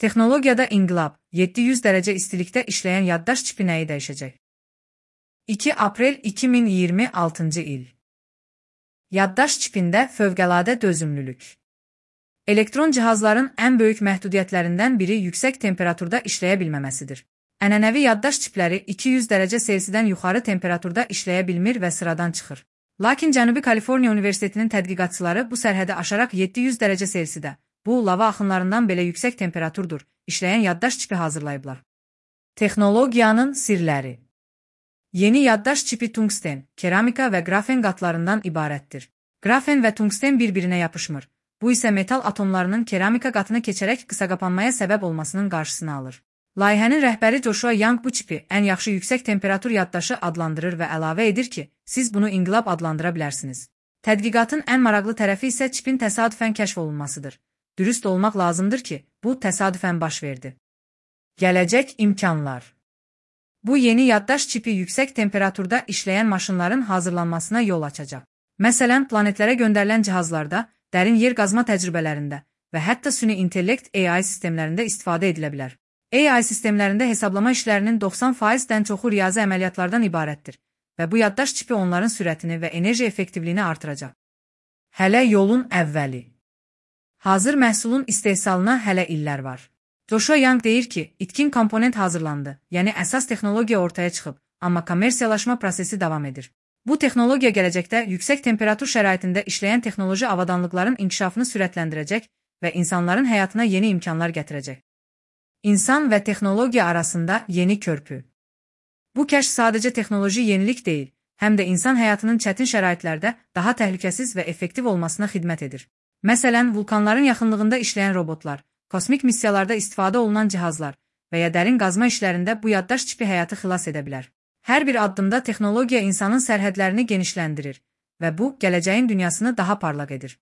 Texnologiyada inqilab, 700 dərəcə istilikdə işləyən yaddaş çipi nəyi dəyişəcək? 2 aprel 2026-cı il. Yaddaş çipində fövqəladə dözümlülük. Elektron cihazların ən böyük məhdudiyyətlərindən biri yüksək temperaturda işləyə bilməməsidir. Ənənəvi yaddaş çipləri 200 dərəcə Selsidən yuxarı temperaturda işləyə bilmir və sıradan çıxır. Lakin Cənubi Kaliforniya Universitetinin tədqiqatçıları bu sərhədi aşaraq 700 dərəcə Selsidə, bu lava axınlarından belə yüksək temperaturdur, işləyən yaddaş çipi hazırlayıblar. Texnologiyanın sirləri. Yeni yaddaş çipi tungsten, keramika və qrafen qatlarından ibarətdir. Qrafen və tungsten bir-birinə yapışmır. Bu isə metal atomlarının keramika qatını keçərək qısaqapanmaya səbəb olmasının qarşısını alır. Layihənin rəhbəri Joshua Young bu çipi ən yaxşı yüksək temperatur yaddaşı adlandırır və əlavə edir ki, siz bunu inqilab adlandıra bilərsiniz. Tədqiqatın ən maraqlı tərəfi isə çipin təsadüfən kəşf olunmasıdır. Dürüst olmaq lazımdır ki, bu təsadüfən baş verdi. Gələcək imkanlar. Bu yeni yaddaş çipi yüksək temperaturda işləyən maşınların hazırlanmasına yol açacaq. Məsələn, planetlərə göndərilən cihazlarda, dərin yer qazma təcrübələrində və hətta süni intellekt AI sistemlərində istifadə edilə bilər. AI sistemlərində hesablama işlərinin 90%-dən çoxu riyazi əməliyyatlardan ibarətdir və bu yaddaş çipi onların sürətini və enerji effektivliyini artıracaq. Hələ yolun əvvəli. Hazır məhsulun istehsalına hələ illər var. Joshua Young deyir ki, itkin komponent hazırlandı, yəni əsas texnologiya ortaya çıxıb, amma kommersiyalaşma prosesi davam edir. Bu texnologiya gələcəkdə yüksək temperatur şəraitində işləyən texnoloji avadanlıqların inkişafını sürətləndirəcək və insanların həyatına yeni imkanlar gətirəcək. İnsan və texnologiya arasında yeni körpü. Bu kəşf sadəcə texnoloji yenilik deyil, həm də insan həyatının çətin şəraitlərdə daha təhlükəsiz və effektiv olmasına xidmət edir. Məsələn, vulkanların yaxınlığında işləyən robotlar, kosmik missiyalarda istifadə olunan cihazlar və ya dərin qazma işlərində bu yaddaş çipi həyatı xilas edə bilər. Hər bir addımda texnologiya insanın sərhədlərini genişləndirir və bu, gələcəyin dünyasını daha parlaq edir.